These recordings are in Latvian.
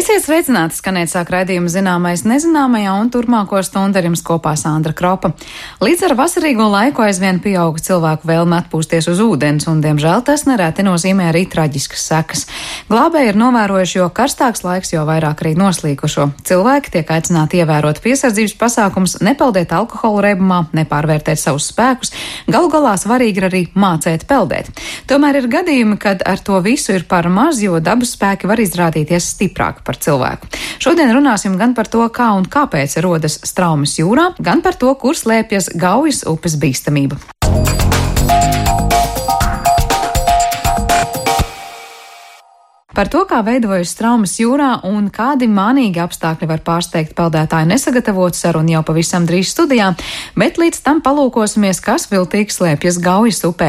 Esiet sveicināti, skanēt sāk raidījuma zināmais nezināmajā, un turpmāko stundu ar jums kopā Sandra Kropa. Līdz ar vasarīgo laiku aizvien pieauga cilvēku vēlme atpūsties uz ūdens, un, diemžēl, tas nereti nozīmē arī traģiskas sekas. Glābēji ir novērojuši, jo karstāks laiks, jo vairāk arī noslīkušo. Cilvēki tiek aicināti ievērot piesardzības pasākums, nepeldēt alkohola reibumā, nepārvērtēt savus spēkus. Galu galā svarīgi ir arī mācēt peldēt. Tomēr ir gadījumi, kad ar to visu ir par maz, jo dabas spēki var izrādīties stiprāk par cilvēku. Šodien runāsim gan par to, kā un kāpēc rodas straumes jūrā, gan par to, kur slēpjas Gaujas upes bīstamība. Par to, kā veidojas straumes jūrā un kādi mānīgi apstākļi var pārsteigt peldētāju nesagatavotu, sarunu jau pavisam drīz studijā, bet līdz tam palūkosimies, kas viltīgi slēpjas Gaujas upē.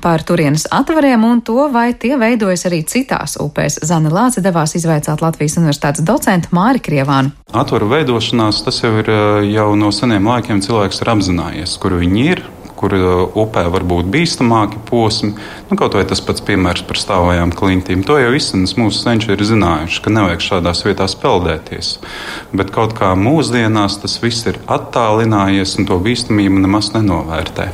Par turienes atvariem un to, vai tie veidojas arī citās upēs. Zane Lāce devās izvaicāt Latvijas Universitātes docentu Māri Krievānu. Atvaru veidošanās, tas jau ir jau no seniem laikiem cilvēks ir apzinājies, kur viņi ir, kur upē var būt bīstamāki posmi. Kaut vai tas pats piemērs par stāvajām klintīm. To jau izsmeļs mūsu senči ir zinājuši, ka nevajag šādās vietās peldēties. Bet kaut kā mūsdienās tas viss ir attālinājies un to bīstamību nemaz nenovērtē.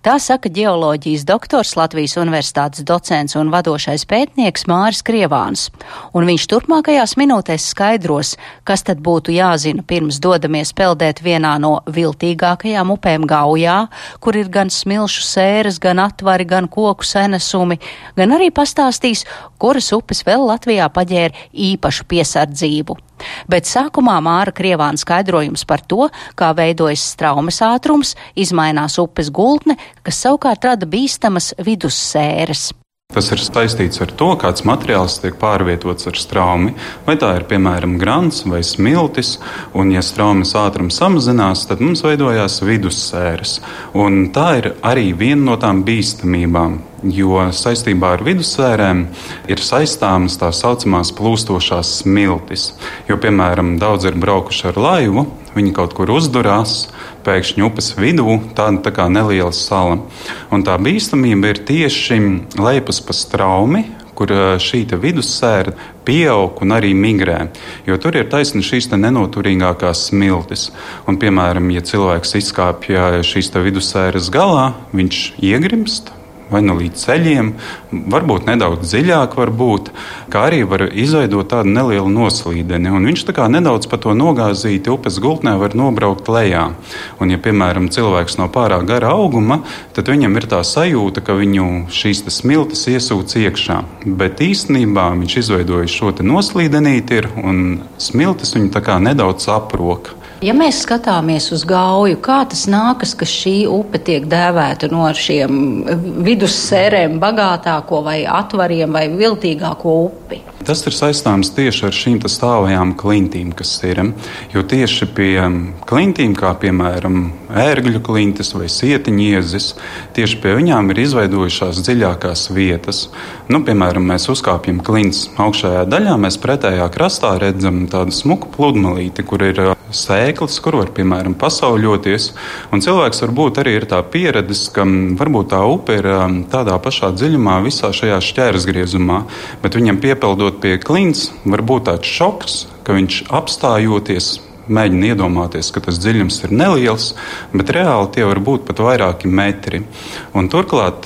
Tā saka ģeoloģijas doktors, Latvijas Universitātes docents un vadošais pētnieks Māris Krievāns. Un viņš turpmākajās minūtēs skaidros, kas tad būtu jāzina pirms dodamies peldēt vienā no viltīgākajām upēm Gaujā, kur ir gan smilšu sēras, gan atvari, gan koku senesumi, gan arī pastāstīs, kuras upes vēl Latvijā paģēra īpašu piesardzību. Bet sākumā Māra Krievāna skaidrojums par to, kā veidojas straumes ātrums, izmainās upes gultne, kas savukārt rada bīstamas vidussēras. Tas ir saistīts ar to, kāds materiāls tiek pārvietots ar straumi. Vai tā ir, piemēram, grants vai smiltis, un ja straumes ātrums samazinās, tad mums veidojās vidussēras. Un tā ir arī viena no tām bīstamībām, jo saistībā ar vidussērēm ir saistāmas tā saucamās plūstošās smiltis. Jo, piemēram, daudz ir braukuši ar laivu, viņi kaut kur uzdurās, pēkšņi upes vidū, tāda tā kā neliela sala. Un tā bīstamība ir tieši lejas pa straumi, kur šī vidussēra pieaug un arī migrē. Jo tur ir taisni šīs nenoturīgākās smiltis. Un, piemēram, ja cilvēks izkāpja šīs vidussēras galā, viņš iegrimst. Vai nu līdz ceļiem, varbūt nedaudz dziļāk, kā arī var izveidot tādu nelielu noslīdeni. Un viņš tā kā nedaudz pa to nogāzīti upes gultnē var nobraukt lejā. Un, ja, piemēram, cilvēks nav pārāk gara auguma, tad viņam ir tā sajūta, ka viņu šīs smiltis iesūc iekšā. Bet īstenībā viņš izveidoja šo noslīdenīti un smiltis viņu tā kā nedaudz aproka. Ja mēs skatāmies uz Gauju, kā tas nākas, ka šī upe tiek dēvēta no šiem vidussērēm bagātāko vai atvariem vai viltīgāko upi? Tas ir saistāms tieši ar šīm stāvajām klintīm, kas ir. Jo tieši pie klintīm, kā piemēram ērgļu klintis vai sietiņiezis, tieši pie viņām ir izveidojušās dziļākās vietas. Piemēram, mēs uzkāpjam klints augšējā daļā, mēs pretējā krastā redzam tādu smuku pludmalīti, kur ir sēklis, kur var, piemēram, pasauļoties. Un cilvēks varbūt arī ir tā pieredzis, ka varbūt tā upe ir tādā pašā dziļumā visā šajā šķērsgriezumā, bet viņam piepeldot pie klints var būt tāds šoks, ka viņš apstājoties mēģina iedomāties, ka tas dziļums ir neliels, bet reāli tie var būt pat vairāki metri. Un turklāt,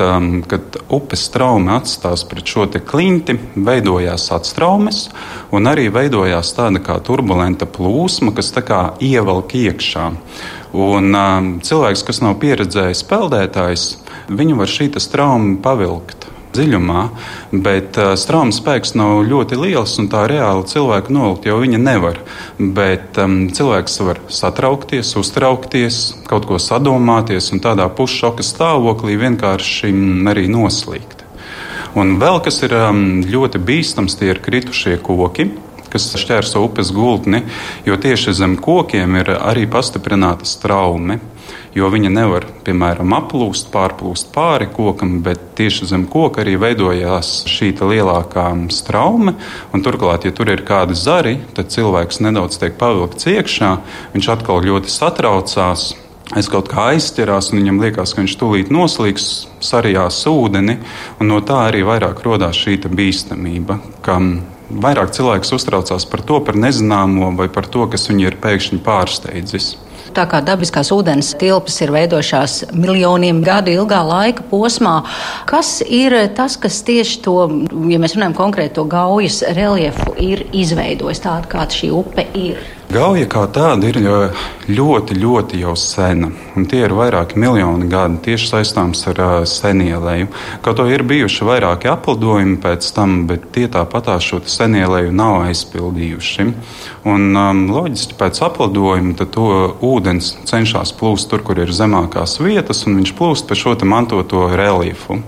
kad upes straume atstās pret šo klinti, veidojās atstraumes un arī veidojās tāda kā turbulenta plūsma, kas tā kā ievelk iekšā. Un cilvēks, kas nav pieredzējis peldētājs, viņu var šī strauma pavilkt dziļumā, bet straumes spēks nav ļoti liels, un tā reāli cilvēku nolikt jau viņa nevar. Bet cilvēks var satraukties, uztraukties, kaut ko sadomāties un tādā pusšoka stāvoklī vienkārši arī noslīgt. Un vēl kas ir ļoti bīstams, tie ir kritušie koki, kas šķērso upes gultni, jo tieši zem kokiem ir arī pastiprināta straume. Jo viņa nevar, piemēram, pārplūst pāri kokam, bet tieši zem koka arī veidojās šī lielākā straume. Un turklāt, ja tur ir kādi zari, tad cilvēks nedaudz tiek pavilkts iekšā, viņš atkal ļoti satraucās. Es kaut kā aizķerās, un viņam liekas, ka viņš tūlīt noslīgs, sarijās ūdeni, un no tā arī vairāk rodās šī bīstamība, ka vairāk cilvēks uztraucās par to, par nezināmo vai par to, kas viņu ir pēkšņi pārsteidzis. Tā kā dabiskās ūdens tilpes ir veidojušās miljoniem gadu ilgā laika posmā, kas ir tas, kas tieši to, ja mēs runājam konkrēti to Gaujas reljefu, ir izveidojis tādu, kāda šī upe ir? Gauja kā tāda ir ļoti, ļoti jau sena, un tie ir vairāki miljoni gadi tieši saistāms ar senieleju. Kaut to ir bijuši vairāki aplidojumi pēc tam, bet tie tāpatās šo senieleju nav aizpildījuši. Un loģiski pēc aplidojuma tad to ūdens cenšas plūst tur, kur ir zemākās vietas, un viņš plūst pa šo mantoto reljefu.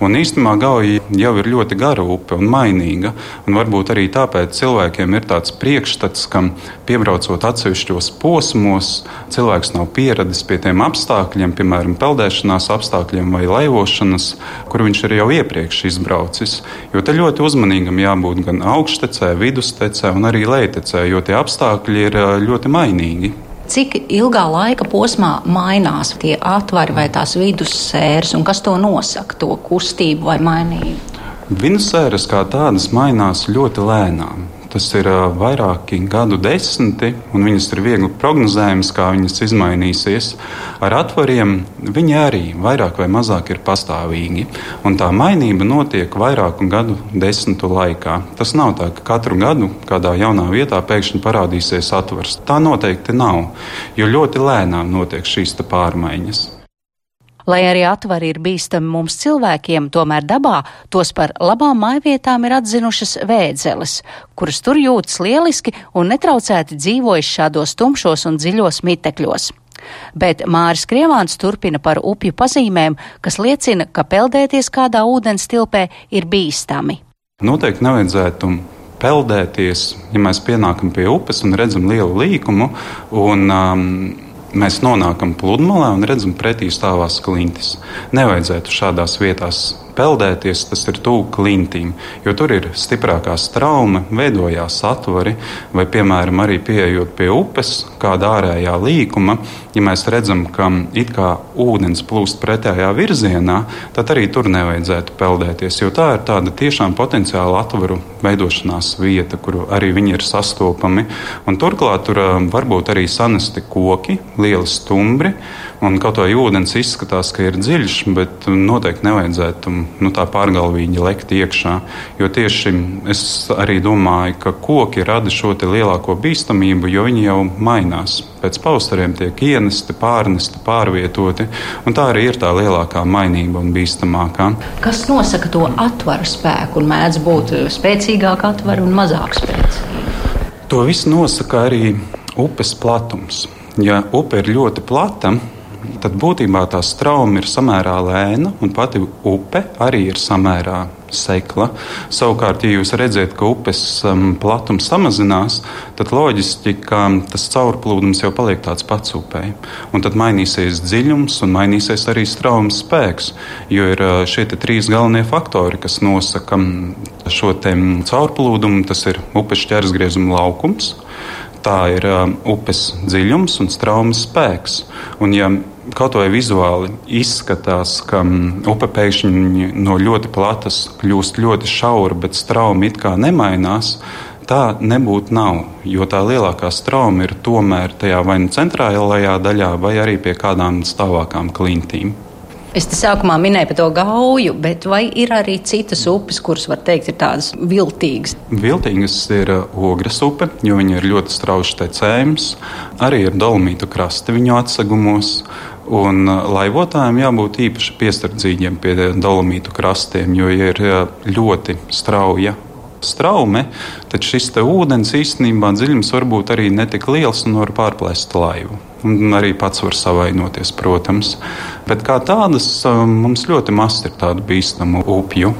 Un īstenībā Gauja jau ir ļoti gara upe un mainīga, un varbūt arī tāpēc cilvēkiem ir tāds priekšstats, ka piebraucot atsevišķos posmos, cilvēks nav pieradis pie tiem apstākļiem, piemēram, peldēšanās apstākļiem vai laivošanas, kur viņš ir jau iepriekš izbraucis. Jo te ļoti uzmanīgam jābūt gan augštecē, vidustecē un arī lejtecē, jo tie apstākļi ir ļoti mainīgi. Cik ilgā laika posmā mainās tie atvari vai tās vidussēras, un kas to nosaka, to kustību vai mainību? Vidussēras kā tādas mainās ļoti lēnām. Tas ir vairāki gadu desmiti, un viņas ir viegli prognozējams, kā viņas izmainīsies. Ar atvariem viņi arī vairāk vai mazāk ir pastāvīgi, un tā mainība notiek vairāku gadu desmitu laikā. Tas nav tā, ka katru gadu kādā jaunā vietā pēkšņi parādīsies atvars. Tā noteikti nav, jo ļoti lēnām notiek šīs pārmaiņas. Lai arī atvari ir bīstami mums cilvēkiem, tomēr dabā tos par labām mājvietām ir atzinušas vēdzeles, kuras tur jūtas lieliski un netraucēti dzīvojas šādos tumšos un dziļos mitekļos. Bet Māris Krievāns turpina par upju pazīmēm, kas liecina, ka peldēties kādā ūdens tilpē ir bīstami. Noteikti nevajadzētu peldēties, ja mēs pienākam pie upes un redzam lielu līkumu, un mēs nonākam pludmalē un redzam pretī stāvās klintis. Nevajadzētu šādās vietās peldēties, tas ir tuvu klintīm, jo tur ir stiprākā straume, veidojās atvari, vai, piemēram, arī pieejot pie upes, kāda ārējā līkuma, ja mēs redzam, ka it kā ūdens plūst pretējā virzienā, tad arī tur nevajadzētu peldēties, jo tā ir tāda tiešām potenciāla atvaru veidošanās vieta, kur arī viņi ir sastopami. Un turklāt tur varbūt arī sanesti koki, lieli stumbri, un kaut vai ūdens izskatās, ka ir dziļš, bet noteikti nevajadzētu tā pārgalvīgi lekt iekšā. Jo tieši es arī domāju, ka koki rada šo lielāko bīstamību, jo viņi jau mainās. Pēc pavasariem tiek ienesti, pārnesti, pārvietoti, un tā arī ir tā lielākā mainība un bīstamākā. Kas nosaka to atvaru spēku, un mēdz būt spēcīgāka atvara un mazāk spēcīga? To visu nosaka arī upes platums. Ja upe ir ļoti plata, tad būtībā tā strauma ir samērā lēna, un pati upe arī ir samērā sekla. Savukārt, ja jūs redzat, ka upes platums samazinās, tad loģiski, ka tas caurplūdums jau paliek tāds pats upei. Un tad mainīsies dziļums un mainīsies arī straumes spēks, jo ir šie trīs galvenie faktori, kas nosaka šo caurplūdumu. Tas ir upes šķērsgriezuma laukums, tā ir upes dziļums un straumes spēks. Un ja kaut vai vizuāli izskatās, ka upe pēkšņi no ļoti platas kļūst ļoti šaura, bet strauma it kā nemainās, tā nebūtu nav, jo tā lielākā strauma ir tomēr tajā vai nu centrālajā daļā, vai arī pie kādām stāvākām klintīm. Es te sākumā minēju par to Gauju, bet vai ir arī citas upes, kuras, var teikt, ir tādas viltīgas? Viltīgas ir Ogres upe, jo viņa ir ļoti strauji tecējums. Arī ir Dolomītu krasti viņu atsegumos. Un laivotājiem jābūt īpaši piesardzīgiem pie Dolomītu krastiem, jo ir ļoti strauja straume, tad šis ūdens īstenībā dziļums var būt arī netik liels un var pārplēst laivu. Un arī pats var savainoties, protams. Bet kā tādas mums ļoti maz ir tādu bīstamu upju.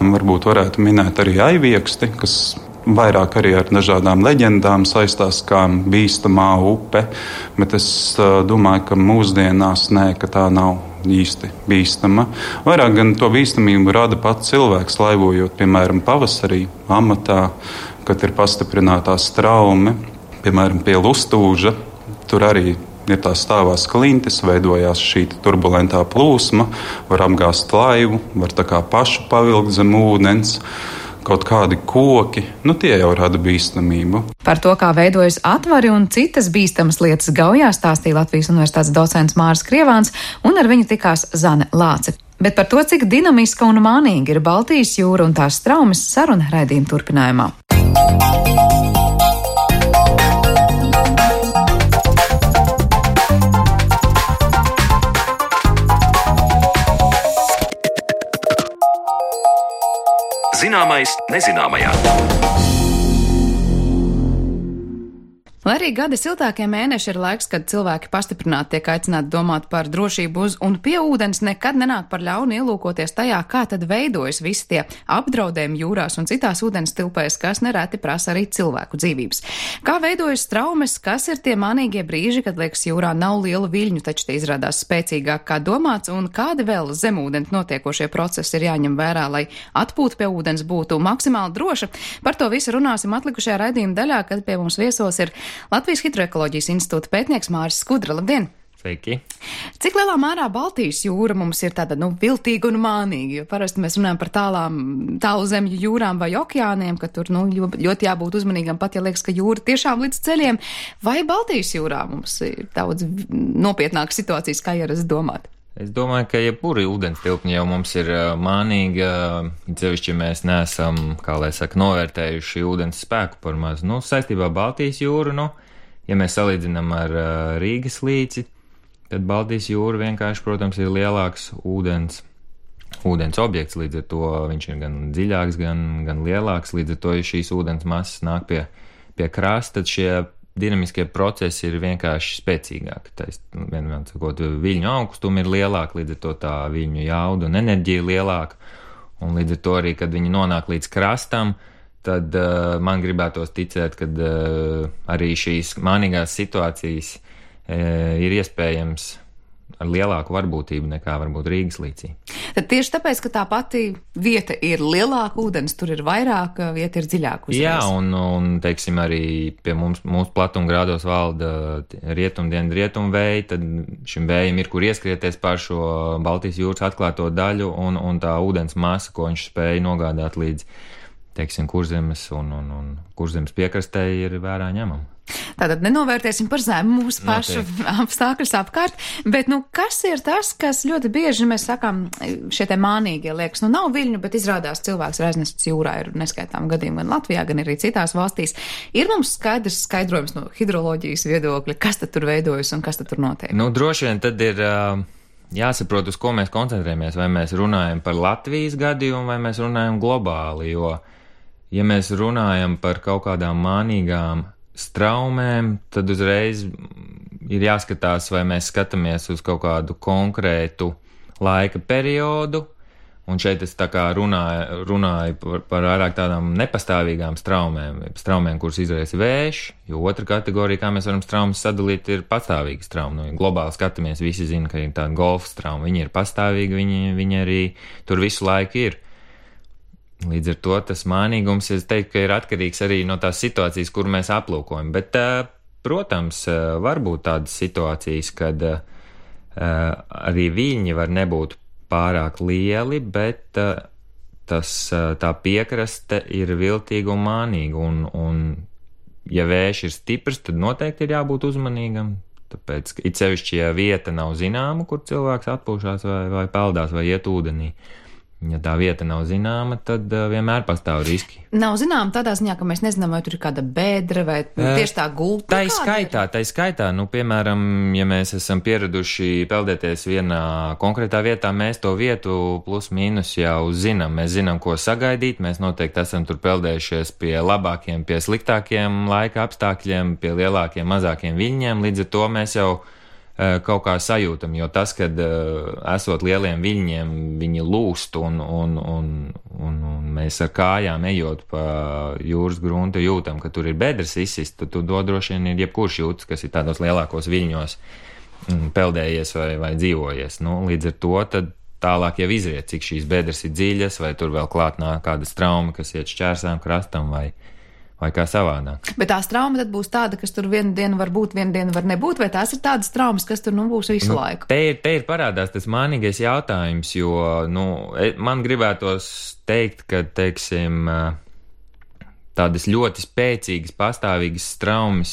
Varbūt varētu minēt arī Aivieksti, kas vairāk arī ar dažādām leģendām saistās kā bīstamā upe, bet es domāju, ka mūsdienās ka tā nav īsti bīstama. Vairāk gan to bīstamību rada pats cilvēks, laivojot, piemēram, pavasarī, amatā, kad ir pastiprinātā straume, piemēram, pie Lustūža. Tur arī ir tā stāvās klintis, veidojās šī turbulentā plūsma, var apgāzt laivu, var tā kā pašu pavilkt zem ūdens. kaut kādi koki, tie jau rada bīstamību. Par to, kā veidojas atvari un citas bīstamas lietas Gaujā, stāstīja Latvijas Universitātes docents Māris Krievāns, un ar viņu tikās Zane Lāce. Bet par to, cik dinamiska un mānīga ir Baltijas jūra un tās straumes, saruna raidījuma turpinājumā. Zināmais nezināmajā. Lai arī gadi siltākie mēneši ir laiks, kad cilvēki pastiprināti tiek aicināti domāt par drošību uz un pie ūdens, nekad nenāk par ļaunu ielūkoties tajā, kā tad veidojas visi tie apdraudējumi jūrās un citās ūdens tilpēs, kas nereti prasa arī cilvēku dzīvības. Kā veidojas traumas, kas ir tie mānīgie brīži, kad liekas jūrā nav lielu viļņu, taču tie izrādās spēcīgāk kā domāts, un kādi vēl zemūdens notiekošie procesi ir jāņem vērā, lai atpūta pie ūdens būtu maksimāli droša. Par to visu runāsim atlikušajā raidījuma daļā, kad pie mums viesos ir Latvijas Hidroekoloģijas institūta pētnieks Māris Skudra. Labdien! Sveiki! Cik lielā mērā Baltijas jūra mums ir tāda, viltīga un mānīga? Jo parasti mēs runājam par tālu zemju jūrām vai okeāniem, ka tur, ļoti jābūt uzmanīgam, pat ja liekas, ka jūra tiešām līdz ceļiem. Vai Baltijas jūrā mums ir daudz nopietnākas situācijas, kā ierast domāt? Es domāju, ka jebkuri ūdens tilpņi jau mums ir mānīga, cevišķi mēs neesam, novērtējuši ūdens spēku par maz. Saistībā Baltijas jūru, ja mēs salīdzinām ar Rīgas līci, tad Baltijas jūra vienkārši, protams, ir lielāks ūdens objekts, līdz ar to viņš ir gan dziļāks, gan lielāks, līdz ar to, ja šīs ūdens masas nāk pie krasta, tad šie dinamiskie procesi ir vienkārši spēcīgāki. Vienmēr sakot, viļņu augstumi ir lielāki, līdz ar to tā viļņu jauda un enerģija ir lielāka, un līdz ar to arī, kad viņi nonāk līdz krastam, tad man gribētos ticēt, ka arī šīs mānīgās situācijas ir iespējams ar lielāku varbūtību nekā varbūt Rīgas līcī. Tad tieši tāpēc, ka tā pati vieta ir lielāka ūdens, tur ir vairāk, vieta ir dziļāka uzreiz. Jā, un teiksim, arī pie mūsu platumgrādos valda rietumvēji, tad šim vējam ir, kur ieskrieties pār šo Baltijas jūras atklāto daļu, un tā ūdens masa, ko viņš spēja nogādāt līdz, teiksim, Kurzemes un Kurzemes piekrastē, ir vērā ņemama. Tātad nenovērtēsim par zemu mūsu pašu apstākļus apkārt, bet kas ir tas, kas ļoti bieži mēs sakām, šie te mānīgie liekas, nav viļņu, bet izrādās cilvēks ir aiznests jūrā, ir neskaitām gadījumi gan Latvijā, gan arī citās valstīs. Ir mums skaidrojums no hidroloģijas viedokļa, kas tad tur veidojas un kas tad tur notiek? Droši vien tad ir jāsaprot, uz ko mēs koncentrējamies, vai mēs runājam par Latvijas gadījumu, vai mēs runājam globāli, jo, ja mēs runājam par kaut kādām mānīgām straumēm, tad uzreiz ir jāskatās, vai mēs skatāmies uz kaut kādu konkrētu laika periodu, un šeit es tā kā runāju par vairāk tādām nepastāvīgām straumēm, kuras izraisa vējš, jo otra kategorija, kā mēs varam straumas sadalīt, ir pastāvīga strauma. Ja globāli skatāmies, visi zina, ka ir tāda golfa strauma, viņi ir pastāvīgi, viņi arī tur visu laiku ir. Līdz ar to tas mānīgums, es teiktu, ka ir atkarīgs arī no tās situācijas, kur mēs aplūkojam. Bet, protams, var būt tādas situācijas, kad arī viļņi var nebūt pārāk lieli, bet tā piekraste ir viltīga un mānīga. Un ja vējš ir stiprs, tad noteikti ir jābūt uzmanīgam. Tāpēc, it sevišķi, ja vieta nav zināma, kur cilvēks atpūšās vai peldās vai iet ūdenī. Ja tā vieta nav zināma, tad vienmēr pastāv riski. Nav zināma tādā ziņā, ka mēs nezinām, vai tur ir kāda bēdra vai tieši tā gulta. Tā skaitā, piemēram, ja mēs esam pieraduši peldēties vienā konkrētā vietā, mēs to vietu plus mīnus jau zinām. Mēs zinām, ko sagaidīt, mēs noteikti esam tur peldējušies pie labākiem, pie sliktākiem laika apstākļiem, pie lielākiem, mazākiem viļņiem, līdz ar to mēs jau kaut kā sajūtam, jo tas, kad esot lieliem viļņiem, viņi lūst un mēs ar kājām ejot pa jūras gruntu jūtam, ka tur ir bedres izsist, tad to droši vien ir jebkurš jūtas, kas ir tādos lielākos viļņos peldējies vai dzīvojies. Līdz ar to tad tālāk jau izriet, cik šīs bedres ir dziļas, vai tur vēl klāt nāk kāda strauma, kas iet šķērsām krastam, vai vai kā savādāk. Bet tās trauma tad būs tāda, kas tur vienu dienu var būt, vienu dienu var nebūt, vai tās ir tādas traumas, kas tur būs visu laiku? Te ir parādās tas mānīgais jautājums, jo, man gribētos teikt, ka, teiksim, tādas ļoti spēcīgas, pastāvīgas traumas,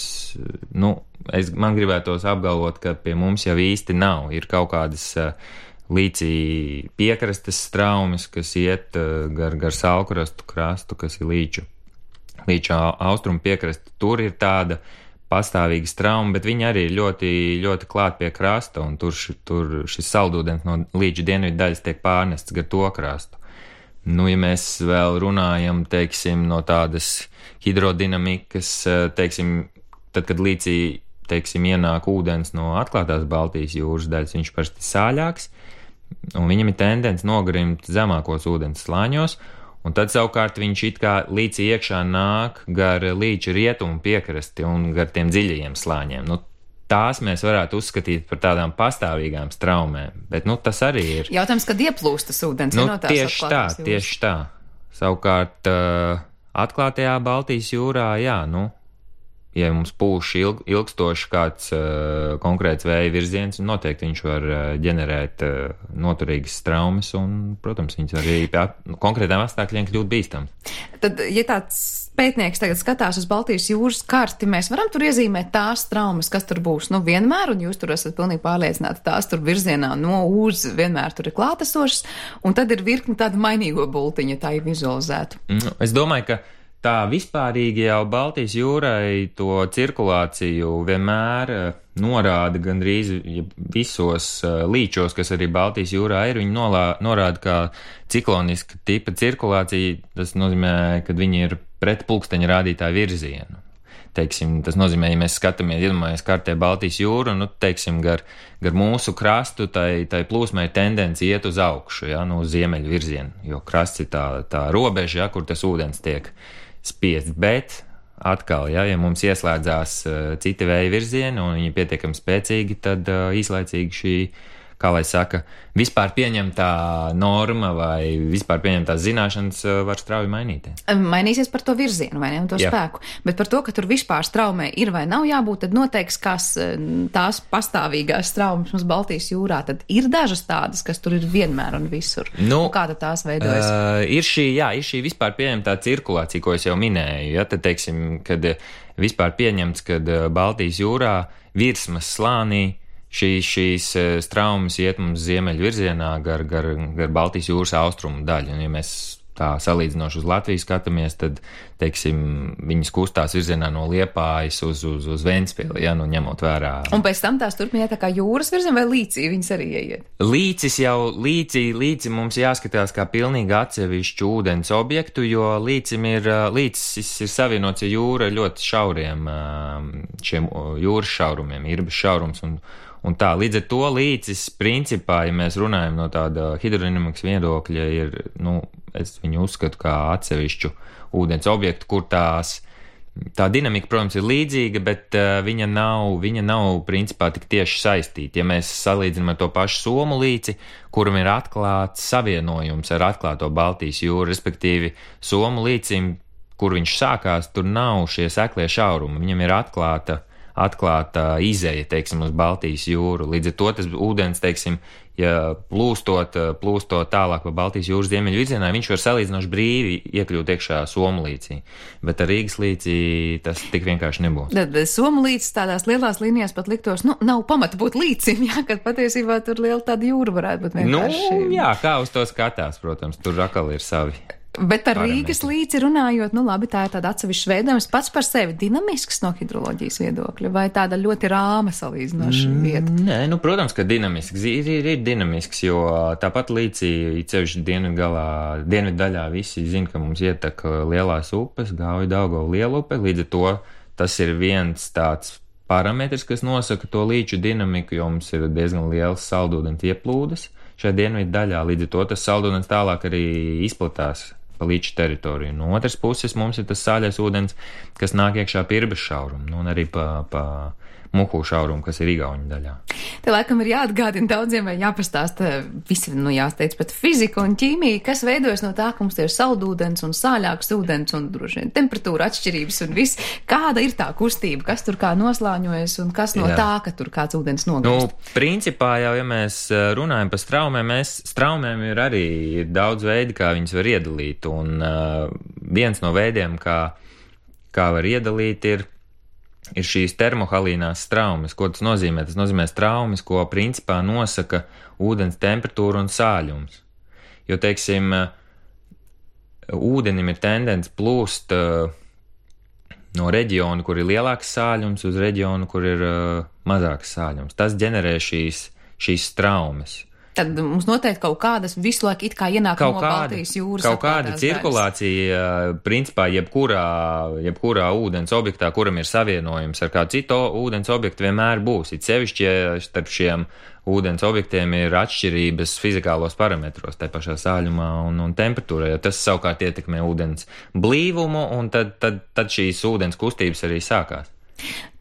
man gribētos apgalvot, ka pie mums jau īsti nav. Ir kaut kādas līcī piekrastes traumas, kas iet gar saulkrastu krastu, kas ir līču austrumu piekrasta. Tur ir tāda pastāvīga trauma, bet viņi arī ir ļoti, ļoti klāt pie krasta, un tur šis saldūdens no līča dienvidu daļas tiek pārnests gar to krastu. Ja mēs vēl runājam, teiksim, no tādas hidrodinamikas, teiksim, tad, kad līcī, teiksim, ienāk ūdens no atklātās Baltijas jūras daļas, viņš parasti sāļāks, un viņam ir tendence nogrimt zemākos ūdens slāņos, un tad savukārt viņš it kā līcī iekšā nāk gar līča rietumu piekrasti un gar tiem dziļajiem slāņiem. Tās mēs varētu uzskatīt par tādām pastāvīgām traumēm, bet tas arī ir. Jautājums, kad ieplūst tas ūdens no tās atklātās jūras? Tieši tā. Savukārt atklātajā Baltijas jūrā, ja mums pūš ilgstoši kāds konkrēts vēja virziens, noteikti viņš var ģenerēt noturīgas traumas un, protams, viņas arī pie konkrētām apstākļiem kļūt bīstams. Tad, ja tāds pētnieks tagad skatās uz Baltijas jūras karti, mēs varam tur iezīmēt tās traumas, kas tur būs, vienmēr, un jūs tur esat pilnīgi pārliecināti, tās tur virzienā no uz vienmēr tur ir klātesošas, un tad ir virkni tādu mainīgo bultiņu, tā ir vizualizētu. Es domāju, ka tā vispārīgi jau Baltijas jūrai to cirkulāciju vienmēr norāda gandrīz visos līčos, kas arī Baltijas jūrā ir. Viņi norāda, ka cikloniska tipa cirkulācija, tas nozīmē, ka viņi ir pret pulksteņa rādītāju virzienu. Teiksim, tas nozīmē, ja mēs skatāmies, iedomājamies kartē Baltijas jūru, teiksim, gar mūsu krastu, tai plūsmai tendence iet uz augšu, uz ziemeļu virzienu, jo krasts ir tā robeža, kur tas ūdens tiek spiest, bet atkal, ja mums ieslēdzās citi vēja virzieni un viņi pietiekami spēcīgi, tad īslaicīgi šī, kā lai saka, vispār pieņemtā norma vai vispār pieņemtās zināšanas var strauji mainīties. Mainīsies par to virzienu, vai ne, un to spēku. Bet par to, ka tur vispār straumē ir vai nav jābūt, tad noteiks, kas tās pastāvīgās traumas mums Baltijas jūrā, tad ir dažas tādas, kas tur ir vienmēr un visur. Kā tad tās veidojas? Ir šī vispār pieņemtā cirkulācija, ko es jau minēju, tad, teiksim, kad vispār pieņemts, kad Baltijas jūrā virsmas slānī šīs traumas iet mums ziemeļu virzienā gar Baltijas jūras austrumu daļu. Un, ja mēs tā salīdzinoši uz Latviju skatāmies, tad, teiksim, viņas kustās virzienā no Liepājas uz Ventspili, ņemot vērā. Un pēc tam tās turpina iet tā kā jūras virzienā vai līcī viņas arī ieiet? Līci mums jāskatās kā pilnīgi atsevišķu ūdens objektu, jo līcis ir savienots ar jūra ļoti šauriem šiem jūras šaurumiem, Irbas šaurums un tā, līdz ar to līcis, principā, ja mēs runājam no tāda hidrodinamikas viedokļa, ir, es viņu uzskatu kā atsevišķu ūdens objektu, kur tā dinamika, protams, ir līdzīga, bet viņa nav principā tik tieši saistīta. Ja mēs salīdzinām ar to pašu Somu līci, kuram ir atklāts savienojums ar atklāto Baltijas jūru, respektīvi Somu līcim, kur viņš sākās, tur nav šie seklie šaurumi, viņam ir atklāta izeja, teiksim, uz Baltijas jūru. Līdz ar to tas ūdens, teiksim, ja plūstot tālāk pa Baltijas jūras ziemeļu virzienā, viņš var salīdzinoši brīvi iekļūt iekšā Somu līcī. Bet ar Rīgas līcī tas tik vienkārši nebūs. Somu līcis tādās lielās līnijās pat liktos, nav pamata būt līcim, kad patiesībā tur liela tāda jūra varētu būt vienkārši. Kā uz to skatās, protams, tur atkal ir savi. Bet par Rīgas līci runājot, labi, tā ir tāda atsevišķa veidojums pats par sevi dinamisks no hidroloģijas viedokļa, vai tāda ļoti rāma salīdzinoša vieta? Nē, protams, ka dinamisks. Ir dinamisks, jo tāpat līcī, ceļš dienvidu daļā visi zina, ka mums ietek lielās upes, Gauja, Daugava, Lielupe, līdz ar to tas ir viens tāds parametrs, kas nosaka to līču dinamiku, jo mums ir diezgan liels saldūdens ieplūdes šajā dienvidu daļā, līdz ar to tas saldūdens tālāk arī izplatās pa līča teritoriju. No otras puses mums ir tas sāļais ūdens, kas nāk iekšā Irbas šaurumu, un arī pa Muhu šaurumu, kas ir Igauņu daļā. Te laikam ir jāatgādina daudziem vai jāpastāsta visi, jāsteidz pat fizika un ķīmija, kas veidojas no tā, ka mums ir saldūdens un sāļāks ūdens un droši vien temperatūra atšķirības un viss. Kāda ir tā kustība, kas tur kā noslāņojas un kas no tā, ka tur kāds ūdens nogurst? Principā jau, ja mēs runājam par straumēm ir arī daudz veidi, kā viņas var iedalīt, un viens no veidiem, kā var iedalīt, ir šīs termohalīnās straumes. Ko tas nozīmē? Tas nozīmē straumes, ko principā nosaka ūdens temperatūra un sāļums. Jo, teiksim, ūdenim ir tendence plūst no reģiona, kur ir lielāks sāļums, uz reģionu, kur ir mazāks sāļums. Tas ģenerē šīs straumes. Tad mums noteikti kaut kādas visu laiku it kā ienāk no Baltijas jūras. Kaut kāda cirkulācija, principā, jebkurā ūdens objektā, kuram ir savienojums ar kādu citu ūdens objektu, vienmēr būs. It sevišķi, ja starp šiem ūdens objektiem ir atšķirības fizikālos parametros, tai pašā sāļumā un temperatūrā, jo tas savukārt ietekmē ūdens blīvumu, un tad šīs ūdens kustības arī sākās.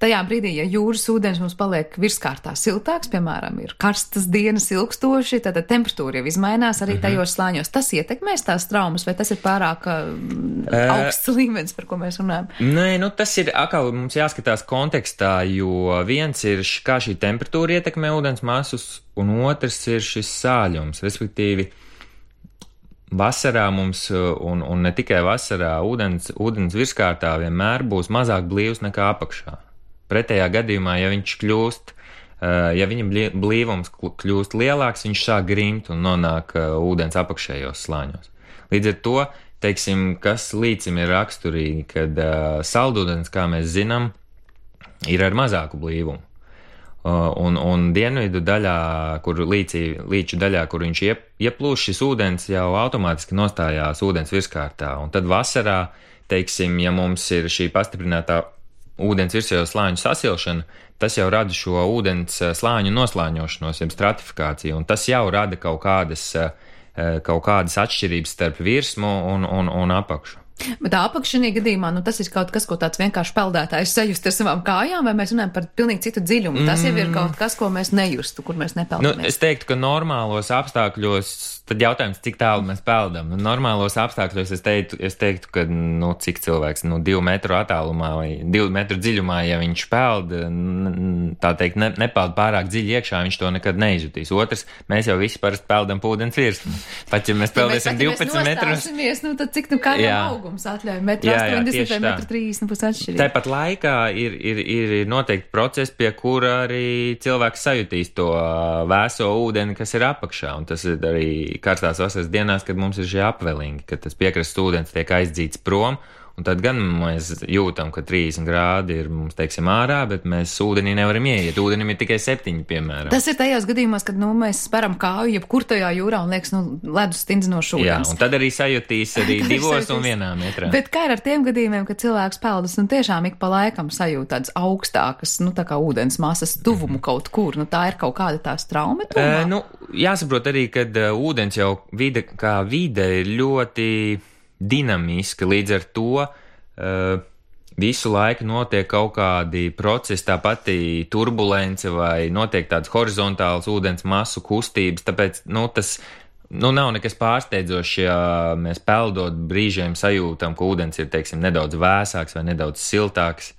Tajā brīdī, ja jūras ūdens mums paliek virskārtā siltāks, piemēram, ir karstas dienas ilgstoši, tad temperatūra jau izmainās arī tajos slāņos. Tas ietekmēs tās traumas, vai tas ir pārāk augsts līmenis, par ko mēs runājam? Nē, tas ir atkal mums jāskatās kontekstā, jo viens ir, kā šī temperatūra ietekmē ūdens masus, un otrs ir šis sāļums, respektīvi. Vasarā mums, un ne tikai vasarā, ūdens virskārtā vienmēr būs mazāk blīvs nekā apakšā. Pretējā gadījumā, ja viņa blīvums kļūst lielāks, viņš sāk grimt un nonāk ūdens apakšējos slāņos. Līdz ar to, teiksim, kas līdzim ir raksturīgi, kad saldūdens, kā mēs zinām, ir ar mazāku blīvumu. Un dienvidu daļā, līču daļā, kur viņš ieplūst, šis ūdens jau automātiski nostājās ūdens virskārtā. Un tad vasarā, teiksim, ja mums ir šī pastiprinātā ūdens virsējo slāņu sasilšana, tas jau rada šo ūdens slāņu noslāņošanos, jeb stratifikāciju, un tas jau rada kaut kādas atšķirības starp virsmu un apakšu. Bet apakšanī gadījumā, tas ir kaut kas, ko tāds vienkārši peldētājs sajust ar savām kājām, vai mēs runājam par pilnīgi citu dziļumu? Tas jau ir kaut kas, ko mēs nejustu, kur mēs nepeldamies. Es teiktu, ka normālos apstākļos, tad jautājums, cik tālu mēs peldam. Normālos apstākļos es teiktu, ka, cik cilvēks, 2 metru attālumā vai 2 metru dziļumā, ja viņš peld, tā teikt, nepeld pārāk dziļi iekšā, viņš to nekad neizjutīs. Otrs, mēs jau visi parasti peldam ūdens virsmu. Pat, ja mēs peldēsim 12 metrus. Tad cik kādam augums atļauj? 1,80 vai 1,30 būs atšķirīgi. Tāpat laikā ir noteikti procesi, pie kura arī cilvēks sajutīs to vēso ūdeni, kas ir apakšā, un tas ir arī karstās vasaras dienās, kad mums ir šie apvelingi, kad tas piekrastes ūdens tiek aizdzīts prom, un tad gan mēs jūtam, ka 30 grādi ir mums, teiksim, ārā, bet mēs ūdenī nevaram ieiet. Ūdenim ir tikai 7, piemēram. Tas ir tajos gadījumos, kad, mēs speram kāju jebkur tajā jūrā un liekas, ledus stindzinošs ūdens. Jā, un tad arī sajutīs arī 2 un 1 metrā. Bet kā ir ar tiem gadījumiem, kad cilvēks peldas un tiešām ik pa laikam sajūt tādas augstākas, tā kā ūdens masas tuvumu kaut kur, tā ir kaut kāda tā straume tuvumā? Jāsaprot arī, kad ūdens jau kā vide ir ļoti dinamiska, līdz ar to visu laiku notiek kaut kādi procesi, tā pati turbulence vai notiek tādas horizontālas ūdens masu kustības, tāpēc, tas nav nekas pārsteidzošs, ja mēs peldot brīžiem sajūtam, ka ūdens ir, teiksim, nedaudz vēsāks vai nedaudz siltāks.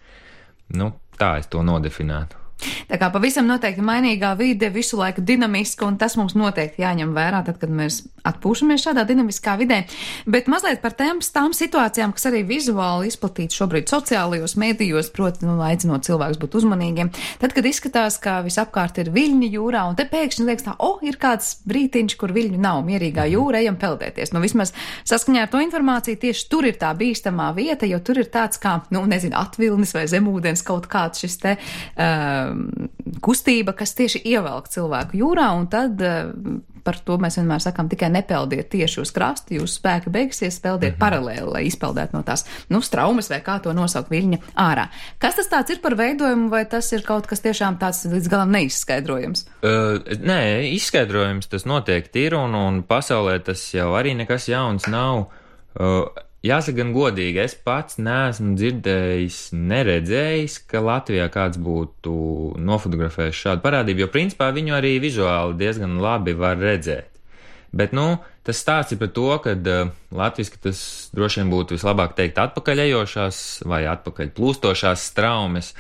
Tā es to nodefinētu. Tā kā pavisam noteikti mainīgā vide, visu laiku dinamiska, un tas mums noteikti jāņem vērā, tad, kad mēs atpūšamies šādā dinamiskā vidē. Bet mazliet par tām situācijām, kas arī vizuāli izplatīts šobrīd sociālajos mēdījos, proti, aicinot cilvēkus būt uzmanīgiem. Tad, kad izskatās, ka visapkārt ir viļņi jūrā, un te pēkšņi liekas tā, ir kāds brītiņš, kur viļņu nav, mierīgā jūra, ejam peldēties. Vismaz saskaņā ar to informāciju tieši tur ir tā bīstamā vieta, jo tur ir tāds kā, atvilnis vai zemūdens kaut kāds šis te kustība, kas tieši ievelk cilvēku jūrā, un tad par to mēs vienmēr sakām tikai nepeldiet tieši uz krastu, jūsu spēki beigsies, peldiet paralēli, lai izpeldētu no tās, straumes vai kā to nosaukt viļņa ārā. Kas tas tāds ir par veidojumu, vai tas ir kaut kas tiešām tāds līdz galam neizskaidrojams? Nē, izskaidrojums tas noteikti ir, un pasaulē tas jau arī nekas jauns nav. jāsaka gan godīgi, es pats neesmu dzirdējis, neredzējis, ka Latvijā kāds būtu nofotografējis šādu parādību, jo principā viņu arī vizuāli diezgan labi var redzēt. Bet, tas stāsts ir par to, ka latviski tas droši vien būtu vislabāk teikt atpakaļejošās vai atpakaļ plūstošās straumes,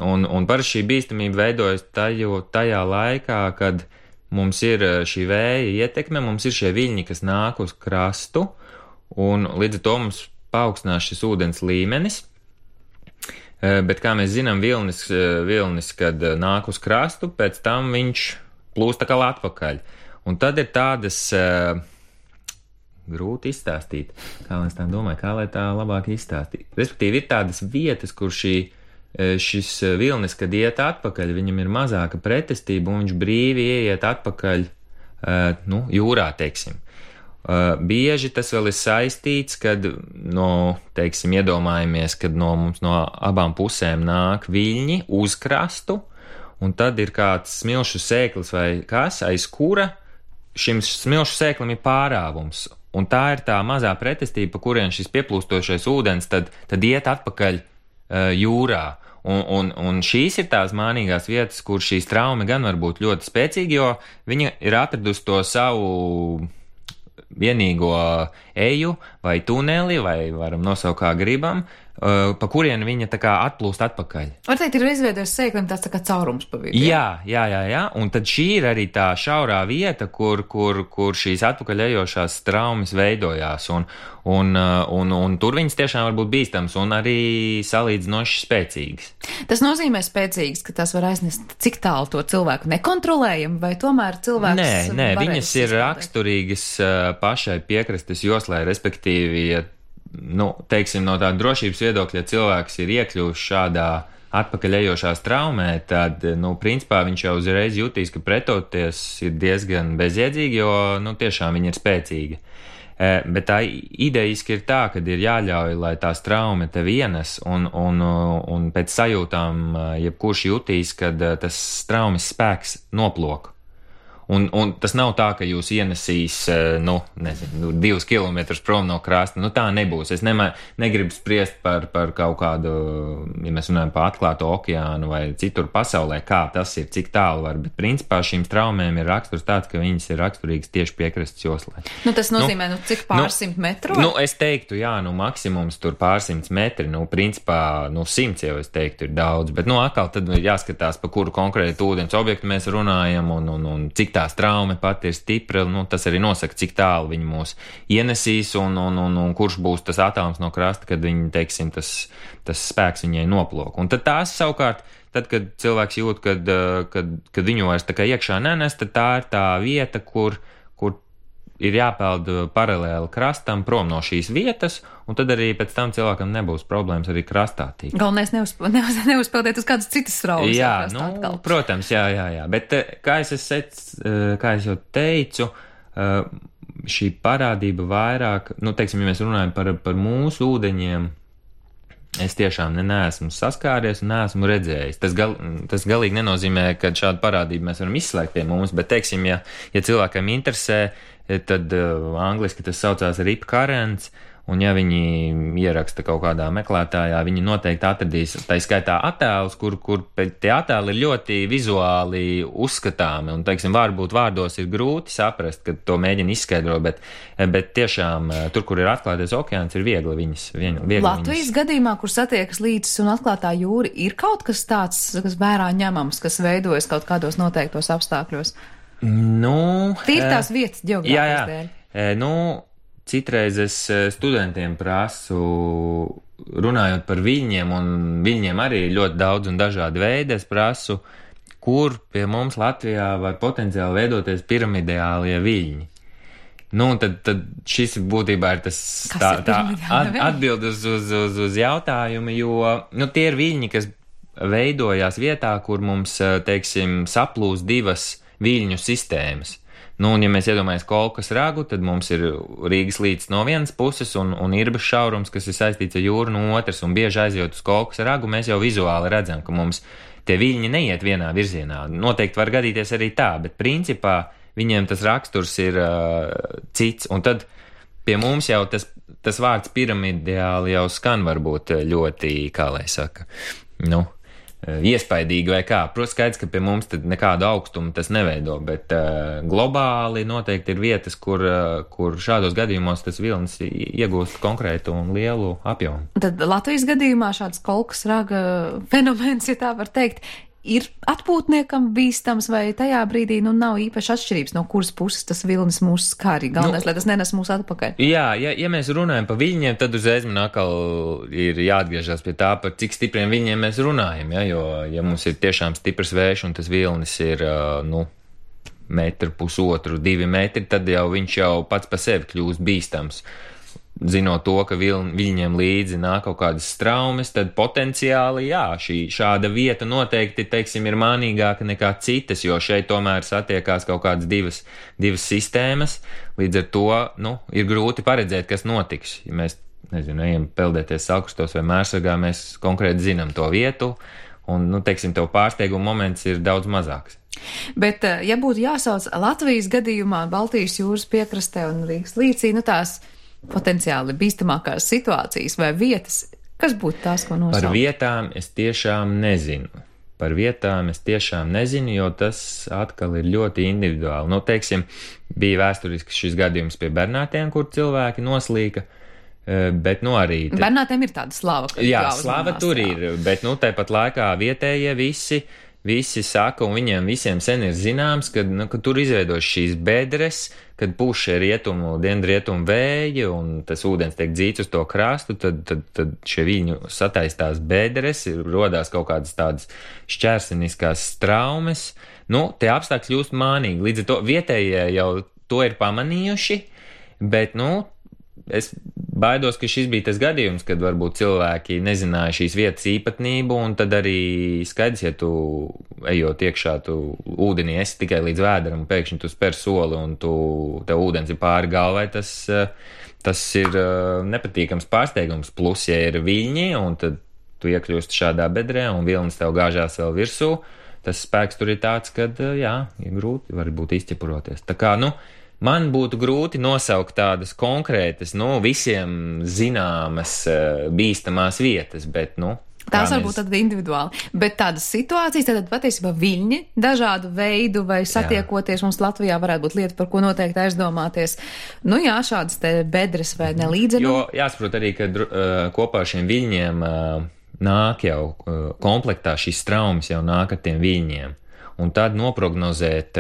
un parasti šī bīstamība veidojas tajā laikā, kad mums ir šī vēja ietekme, mums ir šie viļņi, kas nāk uz krastu, un līdz ar to mums paaugstinās šis ūdens līmenis, bet, kā mēs zinām, vilnis, kad nāk uz krastu, pēc tam viņš plūst atkal atpakaļ. Un tad ir tādas, grūti izstāstīt, kā es tā domāju, kā lai tā labāk izstāstīt. Respektīvi, ir tādas vietas, kur šis vilnis, kad iet atpakaļ, viņam ir mazāka pretestība, un viņš brīvi ieiet atpakaļ, jūrā, teiksim. Bieži tas vēl ir saistīts, kad, iedomājamies, kad mums no abām pusēm nāk viļņi uz krastu, un tad ir kāds smilšu sēklis vai kas, aiz kura šim smilšu sēklim ir pārāvums, un tā ir tā mazā pretestība, pa kurien šis pieplūstošais ūdens tad iet atpakaļ jūrā. Un šīs ir tās mānīgās vietas, kur šī traume gan var būt ļoti spēcīga, jo viņa ir atradusi to savu vienīgo eju vai tuneli, vai varam nosaukt kā gribam, pa kurien viņa tā kā atplūst atpakaļ. Var teikt, ir izveidojis sēklim tāds tā kā caurums pa vidu. Jā. Un tad šī ir arī tā šaurā vieta, kur šīs atpakaļejošās traumas veidojās. Un tur viņas tiešām var būt bīstams un arī salīdzinoši spēcīgas. Tas nozīmē spēcīgs, ka tas var aiznest cik tālu to cilvēku nekontrolējam, vai tomēr cilvēks... Nē, viņas ir raksturīgas pašai piekrastes joslai, respektīvi, teiksim, no tāda drošības viedokļa, ja cilvēks ir iekļuvis šādā atpakaļejošā traumē, tad, principā viņš jau uzreiz jutīs, ka pretoties ir diezgan bezjēdzīgi, jo, tiešām viņa ir spēcīga. Bet tā idejiski ir tā, ka ir jāļauj, lai tās traume tev ienes, un pēc sajūtām jebkurš jutīs, kad tas traumas spēks noplok. Un tas nav tā, ka jūs ienesīs, 2 kilometrus prom no krasta. Tā nebūs. Es negribu spriest par kaut kādu, ja mēs runājam par atklāto okeānu vai citur pasaulē, kā tas ir, cik tālu var. Bet principā šīm traumēm ir raksturs tāds, ka viņas ir raksturīgas tieši piekrastes joslai. Tas nozīmē, cik pārsimt metru? Es teiktu, maksimums tur pārsimts metri. Principā, 100 jau es teiktu ir daudz. Bet, atkal tad ir jāskatās, pa kuru konkrētu ūdens objektu mēs runājam un cik tās traume pat ir stipra, tas arī nosaka, cik tālu viņi mūs ienesīs un kurš būs tas attālums no krasta, kad viņi, teiksim, tas spēks viņai noplok. Un tad tās savukārt, tad, kad cilvēks jūt, kad viņu vairs tā kā iekšā nenes, tad tā ir tā vieta, kur ir jāpeld paralēli krastam prom no šīs vietas, un tad arī pēc tam cilvēkam nebūs problēmas arī krastā tikt. Galvenais neuzpeldēt uz kādas citas straumes. Jā, protams, jā. Bet, kā es jau teicu, šī parādība vairāk, teiksim, ja mēs runājam par mūsu ūdeņiem, es tiešām neesmu saskāries un neesmu redzējis. Tas galīgi nenozīmē, ka šādu parādību mēs varam izslēgt pie mums, bet, teiksim, ja cilvēkam interesē, tad angliski tas saucās rip currents, un ja viņi ieraksta kaut kādā meklētājā, viņi noteikti atradīs, tā skaitā attēlus, kur tie attēli ir ļoti vizuāli uzskatāmi, un, teiksim, varbūt vārdos ir grūti saprast, kad to mēģina izskaidrot, bet tiešām tur, kur ir atklātais okeāns, ir viegli viņas. Latvijas gadījumā, kur satiekas līcis un atklātā jūra, ir kaut kas tāds, kas vērā ņemams, kas veidojas kaut kādos noteiktos apstākļos? Tīri tās vietas ģeogrāfijas dēļ. Citreiz es studentiem prasu, runājot par viļņiem, un viļņiem arī ļoti daudz un dažādi veidi, es prasu, kur pie mums Latvijā var potenciāli veidoties piramidālie viļņi. Tad šis būtībā ir tas atbildes uz jautājumu, jo tie ir viļņi, kas veidojās vietā, kur mums, teiksim, saplūst divas viļņu sistēmas. Un ja mēs iedomājamies Kolkas ragu, tad mums ir Rīgas līcis no vienas puses un Irbas šaurums, kas ir saistīts ar jūru no otras, un bieži aizjot uz Kolkas ragu, mēs jau vizuāli redzam, ka mums tie viļņi neiet vienā virzienā. Noteikti var gadīties arī tā, bet principā viņiem tas raksturs ir cits, un tad pie mums jau tas vārds piramidiāli jau skan varbūt ļoti, kā lai saka, iespaidīgi vai kā. Protams, skaidrs, ka pie mums tad nekādu augstumu tas neveido, bet globāli noteikti ir vietas, kur šādos gadījumos tas vilnis iegūst konkrētu un lielu apjomu. Tad Latvijas gadījumā šāds kolkas raga fenomens, ja tā var teikt, ir atpūtniekam bīstams vai tajā brīdī nav īpaši atšķirības, no kuras puses tas vilnis mūs skāri. Galvenais, lai tas nenes mūs atpakaļ. Jā, ja mēs runājam par viļņiem, tad uzreiz man atkal ir jāatgriežas pie tā, par cik stipriem viļņiem mēs runājam, jo, ja mums ir tiešām stiprs vējš un tas vilnis ir, 1,5 - 2 metri, tad jau viņš jau pats pa sevi kļūst bīstams. Zinot to, ka viļņiem līdzi nāk kaut kādas straumes, tad potenciāli, šāda vieta noteikti, teiksim, ir mānīgāka nekā citas, jo šeit tomēr satiekās kaut kādas divas sistēmas, līdz ar to, ir grūti paredzēt, kas notiks. Ja mēs, ejam peldēties salkrastos vai mērsargā, mēs konkrēti zinām to vietu, un, teiksim, tev pārsteiguma moments ir daudz mazāks. Bet, ja būtu jāsauc Latvijas gadījumā Baltijas jūras piekrastē un Rīgas līcī, tās potenciāli bīstamākās situācijas vai vietas, kas būtu tās, ko nosaukt? Par vietām es tiešām nezinu. Jo tas atkal ir ļoti individuāli. Teiksim, bija vēsturisks šis gadījums pie Bernātiem, kur cilvēki noslīka, bet arī... Bernātiem ir tāda slava. Jā, slava tur ir, bet tāpat laikā vietējie visi saka, un viņiem visiem sen ir zināms, ka tur izveidos šīs bedres, kad pūš dienvidrietumu vēji, un tas ūdens tiek dzīts uz to krastu, tad šie viļņu sataistās bedres, rodās kaut kādas tādas šķērsiniskās straumes. Tie apstākļi kļūst mānīgi. Līdz ar to vietējie jau to ir pamanījuši, bet, es baidos, ka šis bija tas gadījums, kad varbūt cilvēki nezināja šīs vietas īpatnību, un tad arī skaidrs, ja tu ejot iekšā, tu ūdenī esi tikai līdz vēderam, un pēkšņi tu spēr soli, un tev ūdens ir pāri galvai, tas ir nepatīkams pārsteigums. Plus, ja ir viļņi, un tad tu iekļūsti šādā bedrē, un vilnis tev gāžās vēl virsū, tas spēks tur ir tāds, kad, ir grūti varbūt izķepuroties. Tā kā, man būtu grūti nosaukt tādas konkrētas, visiem zināmas bīstamās vietas, bet, tās varbūt tad individuāli, bet tādas situācijas, tad patiesībā viļņi dažādu veidu vai satiekoties mums Latvijā varētu būt lieta, par ko noteikti aizdomāties. Šādas te bedres vai nelīdzenu. Jo jāsaprot arī, ka kopā ar šiem viļņiem nāk jau komplektā šīs traumas jau nāk ar tiem viļņiem. Un tad noprognozēt,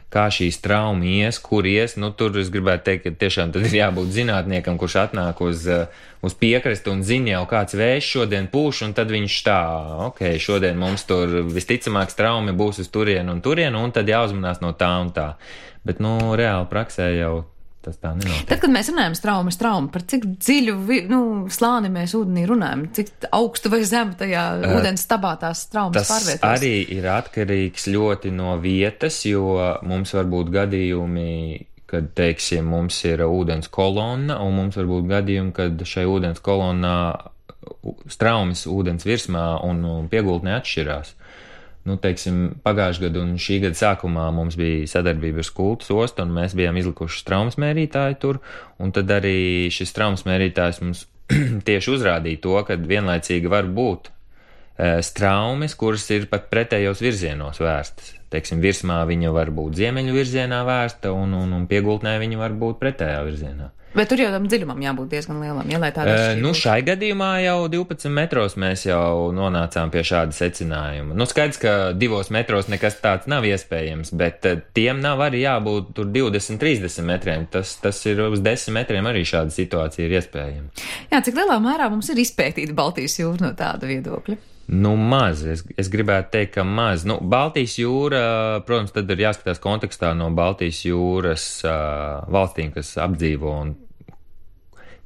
kā šī trauma ies, kur ies, tur es gribētu teikt, ka tiešām tad ir jābūt zinātniekam, kurš atnāk uz piekrasti un zina jau kāds vējš šodien pūš, un tad viņš šodien mums tur visticamāk traumi būs uz turienu, un tad jāuzmanās no tā un tā. Bet, reāli praksē jau tas tā nenotiek. Tad, kad mēs runājam strauma, par cik dziļu slāni mēs ūdenī runājam, cik augstu vai zemu tajā ūdens stabā tās traumas pārvietos? Tas arī ir atkarīgs ļoti no vietas, jo mums var būt gadījumi, kad, teiksim, mums ir ūdens kolonna, un mums var būt gadījumi, kad šai ūdens kolonnā straumes ūdens virsmā un piegultnē atšķirās. Teiksim, pagājušajā gadu un šī gada sākumā mums bija sadarbība ar Skultas ostu, un mēs bijām izlikuši traumas mērītāju tur, un tad arī šis traumas mērītājs mums tieši uzrādīja to, ka vienlaicīgi var būt straumes, kuras ir pat pretējos virzienos vērstas. Teiksim, virsmā viņa var būt ziemeļu virzienā vērsta, un piegultnē viņa var būt pretējā virzienā. Bet tur jau tam dziļumam jābūt diezgan lielam, lai tāda šai gadījumā jau 12 metros mēs jau nonācām pie šāda secinājuma. Skaidrs, ka 2 metros nekas tāds nav iespējams, bet tiem nav arī jābūt tur 20-30 metriem. Tas ir uz 10 metriem arī šāda situācija ir iespējama. Jā, cik lielā mērā mums ir izpētīta Baltijas jūra no tāda viedokļa? Maz. Es gribētu teikt, ka maz. Baltijas jūra, protams, tad ir jāskatās kontekstā no Baltijas jūras valstīm, kas apdzīvo, un,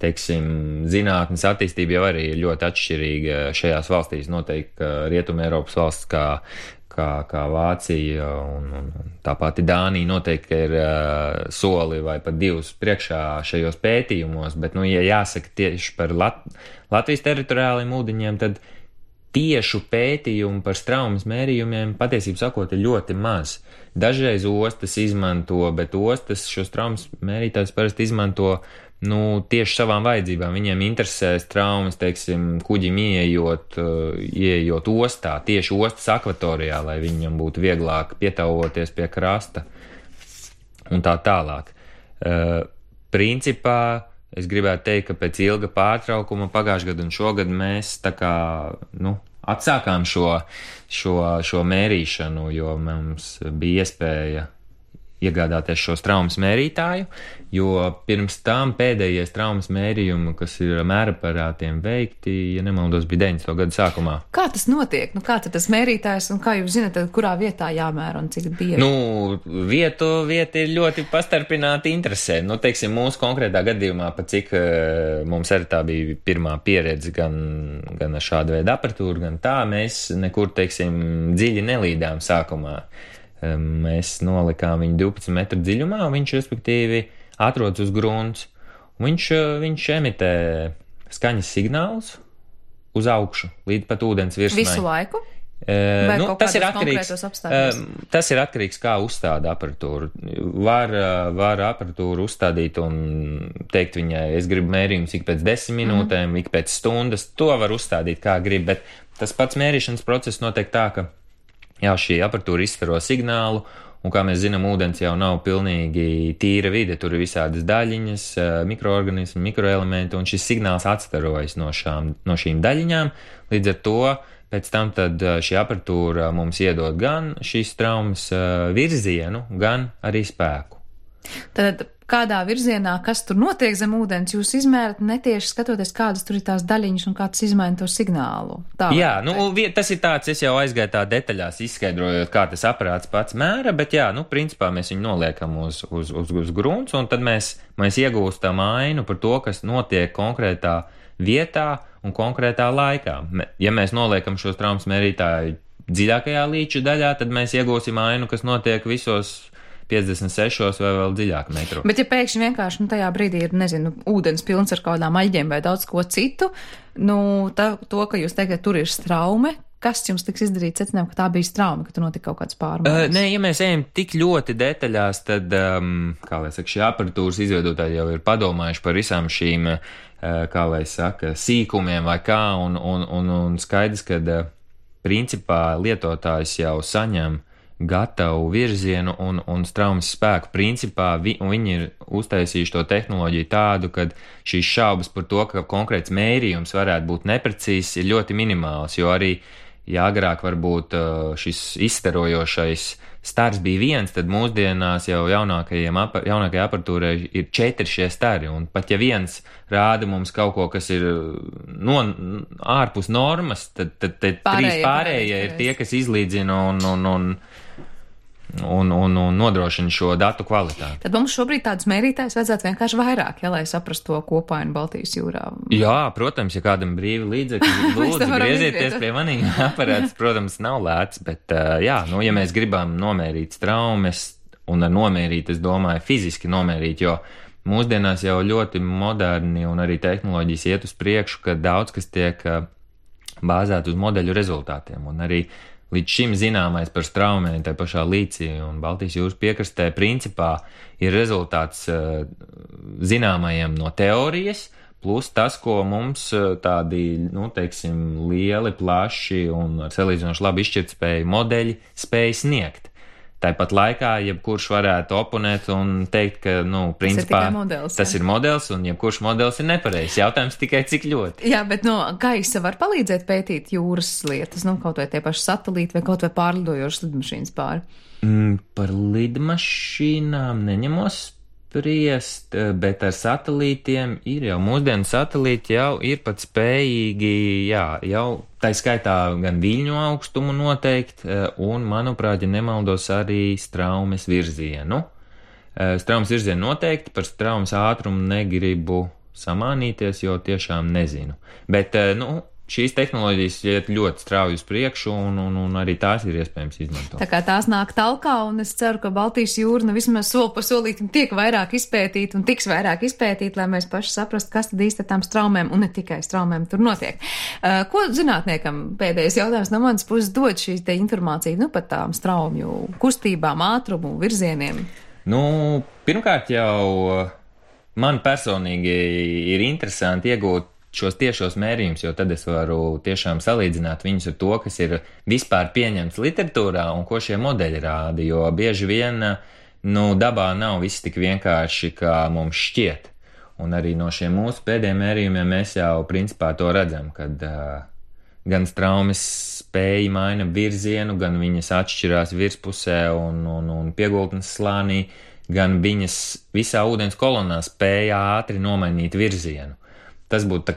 teiksim, zinātnes attīstība jau arī ir ļoti atšķirīga šajās valstīs. Noteikti Rietuma Eiropas valsts kā Vācija un tā pati Dānija noteikti ir soli vai pat 2 priekšā šajos pētījumos, bet, ja jāsaka tieši par Latvijas teritoriāliem ūdeņiem, tad tiešu pētījumu par traumas mērījumiem patiesībā sakot ir ļoti maz. Dažreiz ostas izmanto, bet ostas šos traumas mērītājus parasti izmanto tieši savām vajadzībām. Viņiem interesēs traumas, teiksim, kuģim ieejot ostā, tieši ostas akvatorijā, lai viņam būtu vieglāk pietavoties pie krasta un tā tālāk. Principā es gribētu teikt, ka pēc ilga pārtraukuma pagājušajā gadu un šogad mēs tā kā, atsākām šo mērīšanu, jo mums bija iespēja iegādāties šos traumas mērītāju, jo pirms tam pēdējais traumas mērījumi, kas ir mēraparātiem veikti, ja nemaldos, bija 90. gadu sākumā. Kā tas notiek? Kāds ir tas mērītājs un kā jūs zināt, kurā vietā jāmēra un cik bieži? Vieta ir ļoti pastarpināti interesē. Teiksim, mūsu konkrētā gadījumā, pat cik mums arī tā bija pirmā pieredze gan ar šādu veidu aparatūru, gan tā, mēs nekur, teiksim, dziļi nelīdām sākumā. Mēs nolikām viņu 12 metru dziļumā, un viņš, respektīvi, atrodas uz grunts. Viņš emitē skaņas signālus uz augšu, līdz pat ūdens virsmai. Visu laiku? Tas ir atkarīgs, kā uzstāda aparatūru. Var aparatūru uzstādīt un teikt viņai, es gribu mērījumus ik pēc 10 minūtēm, ik pēc stundas. To var uzstādīt, kā grib, bet tas pats mērīšanas process notiek tā, ka šī aparatūra izstaro signālu, un, kā mēs zinām, ūdens jau nav pilnīgi tīra vide, tur ir visādas daļiņas, mikroorganismi, mikroelementi, un šis signāls atstarojas no šīm daļiņām. Līdz ar to pēc tam tad šī aparatūra mums iedod gan šīs traumas virzienu, gan arī spēku. Tad kādā virzienā, kas tur notiek zem ūdens, jūs izmērat netieši skatoties, kādas tur ir tās daļiņas un kā tas izmaina to signālu. Tas ir tāds, es jau aizgāju tā detaļās izskaidrojot, kā tas aparāts pats mēra, bet principā mēs viņu noliekam uz grunts, un tad mēs iegūstam ainu par to, kas notiek konkrētā vietā un konkrētā laikā. Ja mēs noliekam šos traumas mērītāju dziļākajā līča daļā, tad mēs iegūsim ainu, kas notiek visos 56 vai vēl dziļāk metru. Bet ja pēkšņi vienkārši tajā brīdī ir, ūdens pilns ar kādām aļģiem vai daudz ko citu, to, ka jūs teikt, ka tur ir straume, kas jums tiks izdarīt secinājumu, ka tā bija straume, ka tur notika kaut kāds pārmaiņas? Ja mēs ejam tik ļoti detaļās, tad, šī aparatūras izveidotāji jau ir padomājuši par visām šīm, sīkumiem vai kā, un skaidrs, ka principā lietotājs jau saņem gatavu virzienu un traumas spēku. Principā viņi ir uztaisījuši to tehnoloģiju tādu, ka šīs šaubas par to, ka konkrēts mērījums varētu būt neprecīzs, ir ļoti minimāls, jo arī, ja agrāk varbūt šis izstarojošais stars bija viens, tad mūsdienās jau jaunākajai aparatūrai ir 4 šie stari, un pat ja viens rāda mums kaut ko, kas ir ārpus normas, tad 3 pārējie ir tie, kas izlīdzina un nodrošina šo datu kvalitāti. Tad mums šobrīd tādus mērītājus vajadzētu vienkārši vairāk, lai saprastu to kopainu Baltijas jūrā. Jā, protams, ja kādam brīvi līdzekļi, lūdzu, griezieties pie maniem. Aparāts, protams, nav lēts, bet ja mēs gribam nomērīt traumas, un ar nomērīt, es domāju, fiziski nomērīt, jo mūsdienās jau ļoti moderni un arī tehnoloģijas iet uz priekšu, ka daudz kas tiek bāzēt uz modeļu rezultātiem, un arī līdz šim zināmais par straumēm tā pašā līcī un Baltijas jūras piekrastē principā ir rezultāts zināmajiem no teorijas, plus tas, ko mums tādi, lieli, plaši un ar salīdzinoši labi izšķirtspēju modeļi spēj sniegt. Tāpat laikā jebkurš varētu oponēt un teikt, ka, principā tas ir modelis un jebkurš modelis ir nepareizs. Jautājums tikai cik ļoti. Jā, bet gaisa var palīdzēt pētīt jūras lietas, kaut vai tie paši satelīti vai kaut vai pārlidojošas lidmašīnas pāri. Par lidmašīnām neņemos spriest, bet ar satelītiem ir jau mūsdienu satelīti jau ir pat spējīgi, jau tā skaitā gan viļņu augstumu noteikt, un, manuprāt, ja nemaldos, arī straumes virzienu. Straumes virzienu noteikti, par straumes ātrumu negribu samānīties, jo tiešām nezinu. Bet, šīs tehnoloģijas iet ļoti strauji uz priekšu, un arī tās ir iespējams izmantot. Tā kā tās nāk talkā, un es ceru, ka Baltijas jūra vismaz soli pa solītim tiek vairāk izpētīt un tiks vairāk izpētīt, lai mēs paši saprastu, kas tad īsti ar tām straumēm, un ne tikai straumēm tur notiek. Ko zinātniekam pēdējais jautājums no manas puses dod šī te informācija, par tām straumju kustībām, ātrumu, virzieniem? Pirmkārt jau man personīgi ir interesanti iegūt šos tiešos mērījumus, jo tad es varu tiešām salīdzināt viņus ar to, kas ir vispār pieņemts literatūrā un ko šie modeļi rāda, jo bieži vien, dabā nav viss tik vienkārši, kā mums šķiet. Un arī no šiem mūsu pēdējiem mērījumiem mēs jau principā to redzam, kad gan straumes spēja maina virzienu, gan viņas atšķirās virspusē un piegultnes slānī, gan viņas visā ūdens kolonā spēja ātri nomainīt virzienu. Tas būtu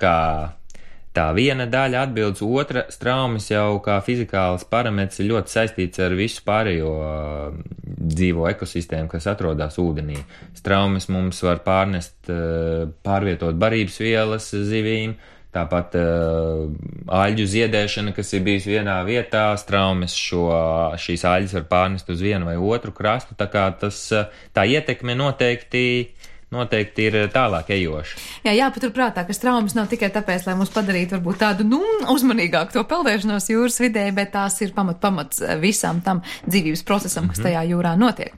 tā viena daļa atbildes, otra straumes jau kā fizikāls parametrs ir ļoti saistīts ar visu pārējo dzīvo ekosistēmu, kas atrodas ūdenī. Straumes mums var pārvietot barības vielas zivīm, tāpat aļģu ziedēšana, kas ir bijis vienā vietā, straumes šīs aļģes var pārnest uz vienu vai otru krastu, tā kā tā ietekme noteikti ir tālāk ejoša. Jā, jāpaturprātā, ka straumes nav tikai tāpēc, lai mums padarītu varbūt tādu, uzmanīgāku to peldēšanos jūras vidē, bet tās ir pamats visam tam dzīvības procesam, kas tajā jūrā notiek.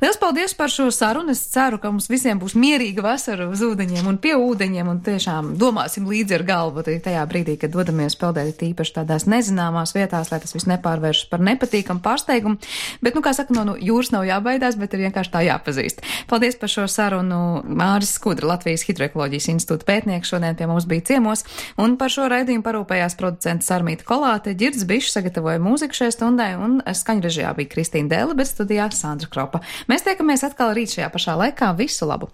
Liels paldies par šo sarunu. Es ceru, ka mums visiem būs mierīga vasara uz ūdeņiem un pie ūdeņiem un tiešām domāsim līdzi ar galvu tajā brīdī, kad dodamies peldēt tīpaši tādās nezināmās vietās, lai tas viss nepārvēršas par nepatīkamu pārsteigumu. Bet, kā saka, no jūras nav jābaidās, bet ir vienkārši tā jāpazīst. Paldies par šo sarunu. Māris Skudra, Latvijas Hidroekoloģijas institūta pētnieks, šodien pie mums bija ciemos, un par šo raidījumu parūpējās producents Sarmīta Kolāte, Ģirds Bišs sagatavoja mūziku šai stundai, un skaņrežijā bija Kristīna Dēle, bet studijā Sandra Kropa. Mēs tiekamies atkal rīt šajā pašā laikā. Visu labu!